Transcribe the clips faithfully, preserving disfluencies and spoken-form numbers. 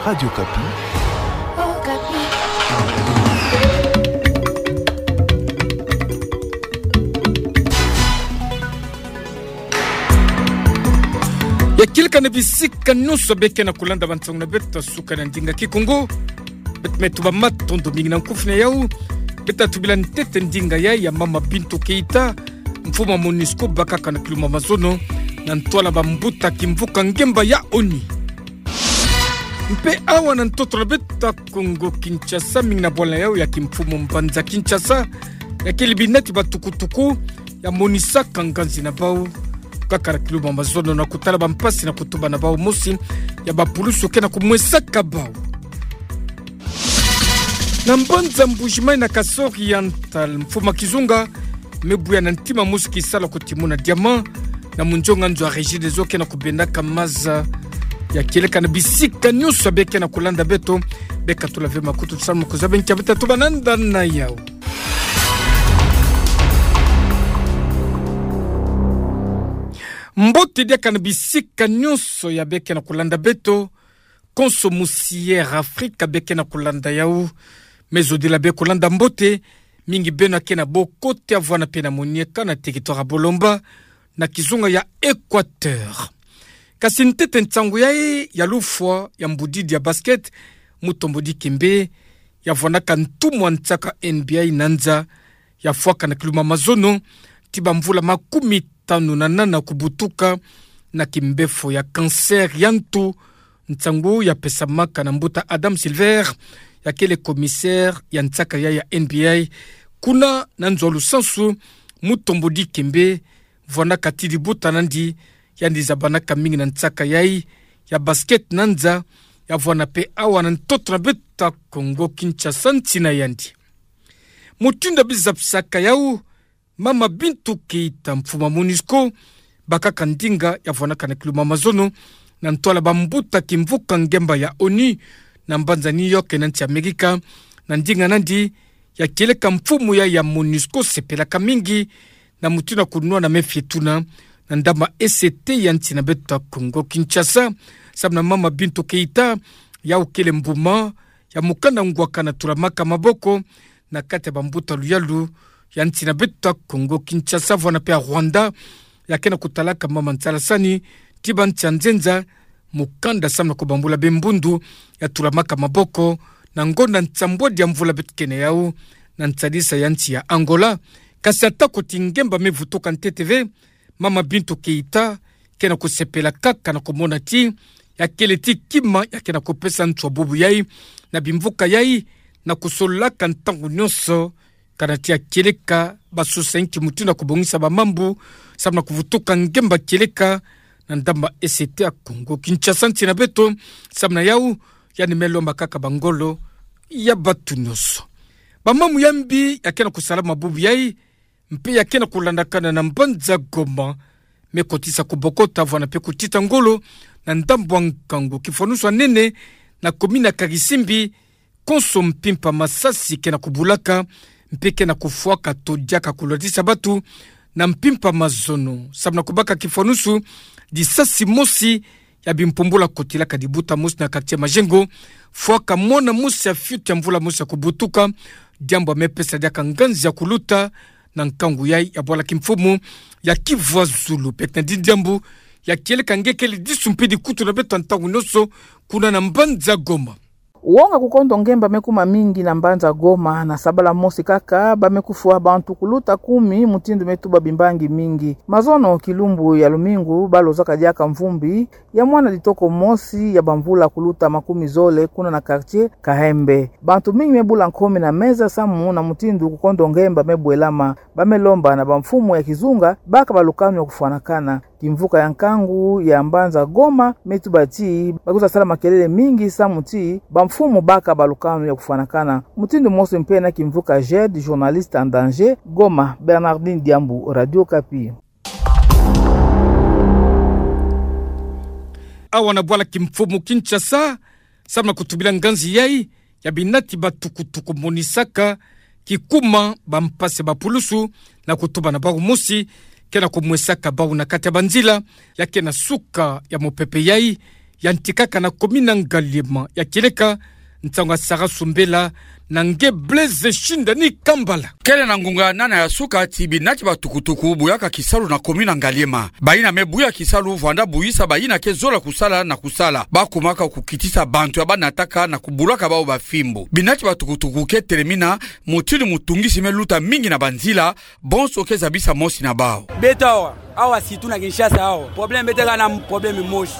Radio Okapi. Ya kieleka na bisika nyonso beke na kulanda bansangu na beto suka na ndinga Kikongo. Beto me tuba matondo mingi na nkufi na yau. Beto tubila ntete ndinga ya, ya Mama Bintou Keita, mfumu a MONUSCO bakaka na kiluma mazono na ntwala bambuta kimvuka ngemba ya ONU. Mpe awa na ntoto na beto Kongo Kinshasa, mingi na bwala yau ya kimfumu mbanza Kinshasa, ya kele binati batukutuku ya monisaka nganzi na bau kaka na kiluma mazono na kutala bampasi na kutuba na bau mosi ya bapulusu ke na kumwesaka bau. Na mbanza Mbuji-Mayi na Kasai Oriental, mfumu a kizunga me buya na ntima mosi kisalu ya kutimuna diamant na munzonga nzo ya Regideso ke na kubendaka maza. Ya kieleka na bisika nyonso beke na kulanda beto, beka tula ve makutu samu kuzaba nkia beta tubananda na yau. Mbote diaka na bisika nyonso ya beke na kulanda beto. Konso musi Air Afrika beke na kulanda yau. Me zodila be kulanda mbote, mingi beno ake na bokote ya vwanda mpe na monieka na territoire ya Bolomba, na kizunga ya Equateur. Kasi ntete nsangu yai ya lufwa ya mbudidi ya basket, Mutombo Dikembe, ya vwandaka ntumwa nsaka N B A na nza, ya fwaka na kiluma mazono ti bamvula makumi tanu na nana kubutuka na kimbefo ya cancer ya ntu. Nsangu ya pesamaka na mbuta Adam Silver, ya kele commissaire ya nsaka ya, ya N B A kuna na nzo a lusansu. Mutombo Dikembe vwandaka ti libuta nandi, yandi zabanaka mingi na nsaka yai ya basket na nza, ya vwanda mpe awa na ntoto na beto Kongo Kinshasa nsi na yandi. Mutindu ya bizabisaka yau, Mama Bintou Keita, mfumu a MONUSCO bakaka ndinga, ya vwandaka na kiluma mazono na ntwala bambuta kimvuka ngemba ya ONU na mbanza New York na nsi Amerika. Na ndinga nandi, ya kieleka mfumu ya, ya MONUSCO sepelaka mingi na mutindu ya kunwana me fietuna na ndambu a E C T ya nsi na beto Kongo Kinshasa. Samu na Mama Bintou Keita, yau kele mbuma ya mukanda ngwaka na tulamaka maboko na kati ya bambuta luyalu ya nsi na beto Kongo Kinshasa, vwanda mpe ya Rwanda, ya ke na kutalaka mama nsalasani ti bansi ya nzenza mukanda samu na kubambula be mbundu ya tulamaka maboko na ngonda nsambwadi ya mvula beto ke na yau na nsadisa ya nsi ya Angola. Kasi atako ti ngemba me vutuka ntete ve, Mama Bintou Keita ke na kusepela kaka na kumona ti ya kele ti kima ya ke na kupesa ntu ya bubu yai na bimvuka yai, na kusololaka ntangu nyonso kana ti ya kieleka basusa inki mutindu ya kubongisa bamambu samu na kuvutuka ngemba kieleka na ndambu a E C T ya Kongo Kinshasa nsi na beto. Samu na yau, yandi me lomba kaka bangolo ya batu nyonso. Bamambu ya mbi ya ke na kusalama bubu yai, mpe ya ke na kulandakana na mbanza Goma, me kotisa kubokota vwanda mpe kutita ngolo na ndambu a nkangu. Kifwanusu a nene na commune ya Karisimbi, konso mpimpa masasi ke na kubulaka, mpe ke na kufwaka to diaka kulwatisa batu na mpimpa mazono. Samu na kubaka kifwanusu, lisasi mosi ya bimpumbula kotilaka libuta mosi na quartier Majengo, fwaka mwana mosi ya fioti ya mvula mosi ya kubutuka, diambu ya me pesa diaka nganzi ya kuluta na nkangu yai ya bwala kimfumu ya Kivu ya Zulu. Beto na di diambu ya kieleka nge kele disu mpe dikutu na beto ntangu nyonso kuna na mbanza Goma. Wonga kukondo ngemba me kuma mingi na mbanza Goma. Na sabala mosi kaka, ba me kufwa bantu kuluta kumi, mutindu me tuba bimbangi mingi. Mazono kilumbu ya lumingu, ba lozaka diaka mvumbi ya mwana litoko mosi ya bamvula kuluta makumi zole kuna na quartier Kahembe. Bantu mingi me bula nkomi na meza samu na mutindu kukondo ngemba me bwelama. Ba me lomba na bamfumu ya kizunga baka balukanu ya kufwanakana. Kimvuka ya nkangu ya mbanza Goma me tuba ti ba kwiza sala makelele mingi samu ti bamfumu baka balukanu ya kufwanakana. Mutindu mosi mpe na kimvuka Jed, journaliste en danger, Goma, Bernardine Diambu, Radio Okapi. Awa na bwala kimfumu Kinshasa, samu na kutubila nganzi yai ya binati batukutuku monisaka kikuma bampasi ya bapulusu na kutuba na bau mosi ke na kumwesaka bau na kati ya banzila, ya ke na suka ya mupepe yai yantikaka na commune Ngaliema. Ya kieleka nsangu ya Sarah Sumbela na nge Blaise Shindani Kambala. Kele na ngunga nana ya suka ti binati ba tukutuku buyaka kisalu na commune Ngaliema. Bayina me buya kisalu vwanda buyisa bayina ke zola kusala na kusala. Ba kumaka kukitisa bantu ya ba nataka na kubulaka bawu ba fimbu. Binati ba tukutuku ke telemina mutindu mutungisi me luta mingi na banzila, bonso ke zabisa mosi na bawu. Beto awa, awa surtout na Kinshasa awa, problème beto kaka na problème mosi.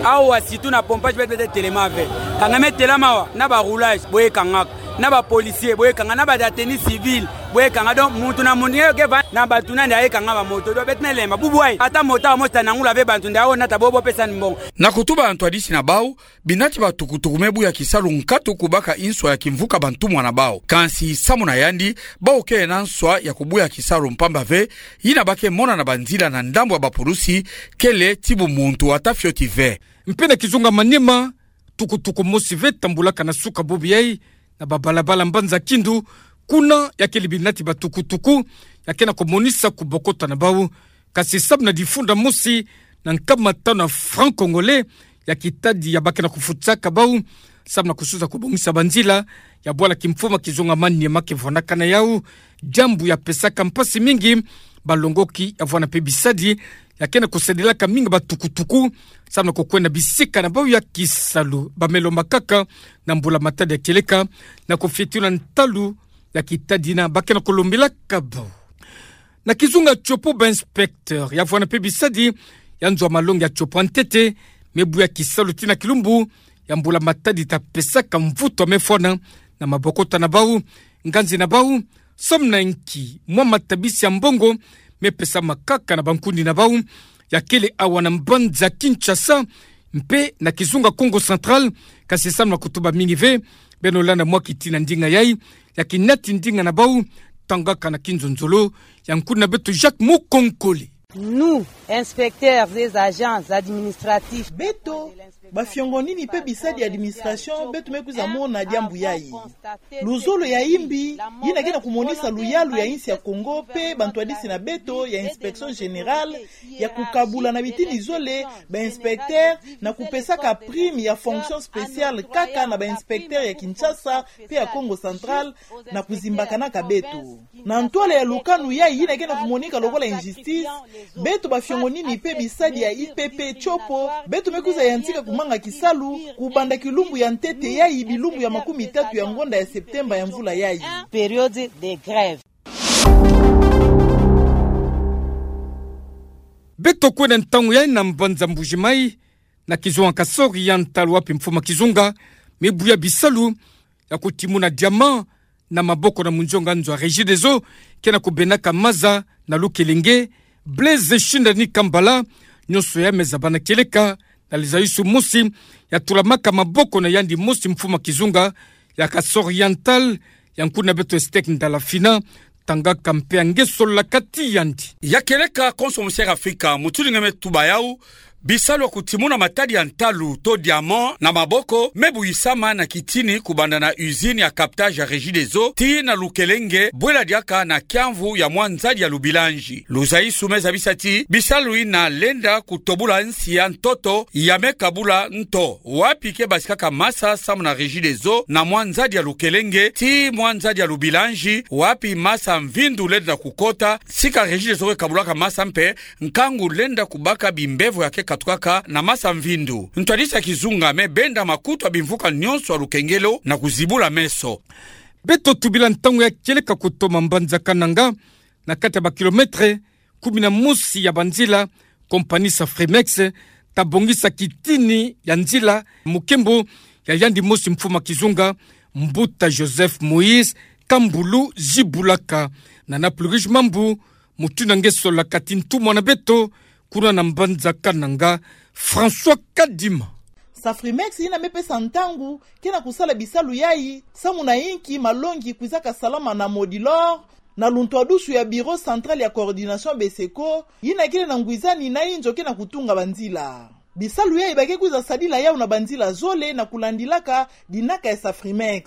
Awa surtout na pompage beto, beto telema ve. Kanga me telama awa, na ba roulage, boye kangaka. Na ba policier, boye kanga, na ba tenue civile, boye kanga. Donc, muntu na muntu nge ke va na bantu na nde aye kanga ba moto. Donc, beto me lemba. Bubu ayi, ata moto awa mosi ta nangula ve bantu nde awo nata bo, bo pesa ni mbongo. Na kutuba ntwadisi na bawu, binati ba tukutuku me buya kisalu nkatu kubaka inswa ya kimvuka bantumwa na bawu. Kansi samu na yandi, bawu ke na nswa ya kubuya kisalu mpamba ve, yina ba ke mona na banzila na ndambu ya ba pulusi, kele ti bumuntu ata fioti ve. Mpe na kizunga Maniema, tukutuku mosi ve tambulaka na suka bubu yayi, na ba balabala Mbanza Kindu, kuna ya kele binati ba tukutuku ya ke na kumonisa kubokota na bawu. Kasi samu na difunda mosi na nkama tanu ya francs congolais ya kitadi ya ba ke na kufutisaka bawu, samu na kususa kubongisa banzila ya bwala kimfuma kizunga Maniema ke vwandaka na yawu, diambu ya pesaka mpasi mingi balongoki ya vwanda mpe bisadi ya ke na kusadilaka mingi ba tukutuku, samu na kukwenda bisika na bawu ya kisalu. Ba me lomba kaka na mbula-matadi ya kieleka na kufioti na ntalu ya kitadi yina ba ke na kulombelaka bawu. Na kizunga Tshopo, ba inspecteur ya vwanda mpe bisadi ya nzo ya malongi ya Tshopo ya ntete me buya kisalu tii na kilumbu ya mbula-matadi ta pesaka mvutu ya me fwana na mabokota na bawu, nganzi na bawu, samu na inki mwa matabisi ya mbongo me pesama kaka na bankundi na bawu, ya kele awa na mbanza Kinshasa mpe na kizunga Kongo Central. Kasi samu na kutuba mingi ve, beno landa mwa kiti na ndinga yayi ya kinati ndinga na bawu, tangaka na kinzonzolo ya nkundi na beto Jacques Mukonkole. Nous, inspecteurs et agents administratifs. Beto bafiongonini mpe bisadi ya administration, beto me kwiza mona diambu yayi. Luzolo ya imbi yina ke na kumonisa luyalu ya insi ya Kongo mpe bantwadisi na beto ya Inspection Générale ya kukabula na bitini zole ba inspecteurs na kupesaka prime ya fonction spéciale kaka na ba inspecteurs ya Kinshasa mpe ya Kongo Central, na kuzimbakanaka beto. Na ntwala ya lukanu yayi yina ke na kumonika lokola injustice, beto bafiongonini mpe bisadi ya I P P Tshopo, beto me kwiza yantika kumanga kisalu kubanda kilumbu ya ntete yayi bilumbu ya makumi tatu ya ngonda ya septembre ya mvula yayi. Période de grève. Beto kwenda ntangu yayi na mbanza Mbuji-Mayi, na kizunga Kasaï Oriental, wapi mfumu a kizunga me buya bisalu ya kutimuna diamant na maboko na munzonga nzo ya Regideso ke na kubenaka maza na Lukelenge, Blaise Shindani Kambala. Nyonso yayi me zabana kieleka na lizayisu mosi ya tulamaka maboko na yandi mosi mfumu a kizunga ya Kasaï Oriental, ya nkundi na beto Estek Ndalafina, tangaka mpe ya nge sololaka ti yandi. Ya kieleka konso musi ya Afrika, mutindu nge me tuba yawu, bisalu ya kutimuna matadi ya ntalu to diamant na maboko me buyisama na kitini kubanda na usine ya captage ya Regideso tii na Lukelenge, bwela diaka na kiamvu ya mwa nzadi ya Lubilanji. Luzayisu me zabisa ti bisalu yina lenda kutobula nsi ya ntoto ya me kabula nto, wapi ke basikaka masa samu na Regideso na mwa nzadi ya Lukelenge tii mwa nzadi ya Lubilanji, wapi masa mvindu lenda kukota, sika Regideso ke kabulaka masa mpe nkangu lenda kubaka bimbevo ya ke katukaka na masa mvindu. Ntwadisi ya kizunga me benda makutu ya bimvuka nyonso ya lukengelo na kuzibula meso. Beto tubila ntangu ya kieleka kutoma mbanza Kananga, na kati ya ba kilomètre kumi na mosi ya banzila, compagnie Safrimex ta bongisa kitini ya nzila mu nkembo ya yandi mosi mfumu a kizunga, Mbuta Joseph Moïse Kambulu Zibulaka. Na na plus riche mambu, mutindu nge sololaka ti ntumwa na beto kuna na mbanza Kananga, François Kadima. Safrimex yina me pesa ntangu ke na kusala bisalu yayi, samu na inki malongi kwizaka salama na Modilor, na luntwadusu ya Bureau Central ya Coordination Beseko, yina kele na ngwizani na inzo ke na kutunga banzila. Bisalu yayi ba ke kwiza sadila yawu na banzila zole na kulandilaka dinaka ya Safrimex.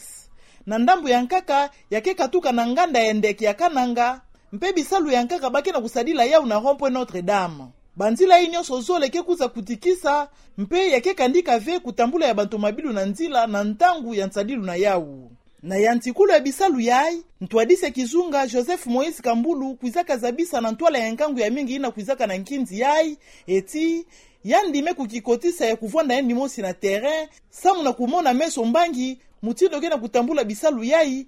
Na ndambu ya nkaka, ya ke katuka na nganda ya ndeke ya Kananga, mpe bisalu ya nkaka ba ke na kusadila yawu na rond-point Notre-Dame. Banzila yayi nyonso zole ke kwiza kutikisa, mpe ya ke kandika ve kutambula ya bantu mabilu na nzila na ntangu ya nsadilu na yawu. Na yantikulu ya bisalu yayi, ntwadisi ya kizunga Joseph Moïse Kambulu kwizaka zabisa na ntwala ya nkangu ya mingi yina kwizaka na nkinzi yayi, eti, yandi me kukikotisa ya kuvwanda yandi mosi na terrain, samu na kumona meso mbangi mutindu ke na kutambula bisalu yayi.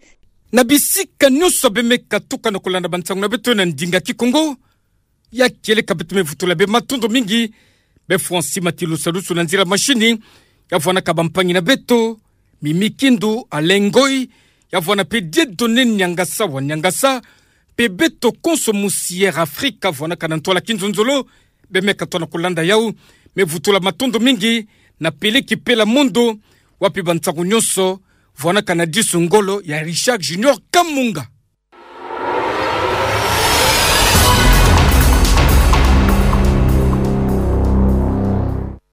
Na bisika nyonso beme katuka na kulanda bansangu na beto na ndinga Kikongo, ya kieleka beto me vutula be matondo mingi, be Francis Matilusalusu na nzila mashini, ya vwanaka bampangi na beto, Mimi Kindu, Alain Ngoyi, ya vwana mpe Dieudonné Niangasa wa Niangasa, mpe beto konso musi Air Afrique, vwanaka na ntwala kinzonzolo, beme katwa na kulanda yawu, me vutula matondo mingi, na Peleki Pela Mondo, wapi bansangu nyonso, vwanaka na disu ngolo ya Richard Junior Kamunga.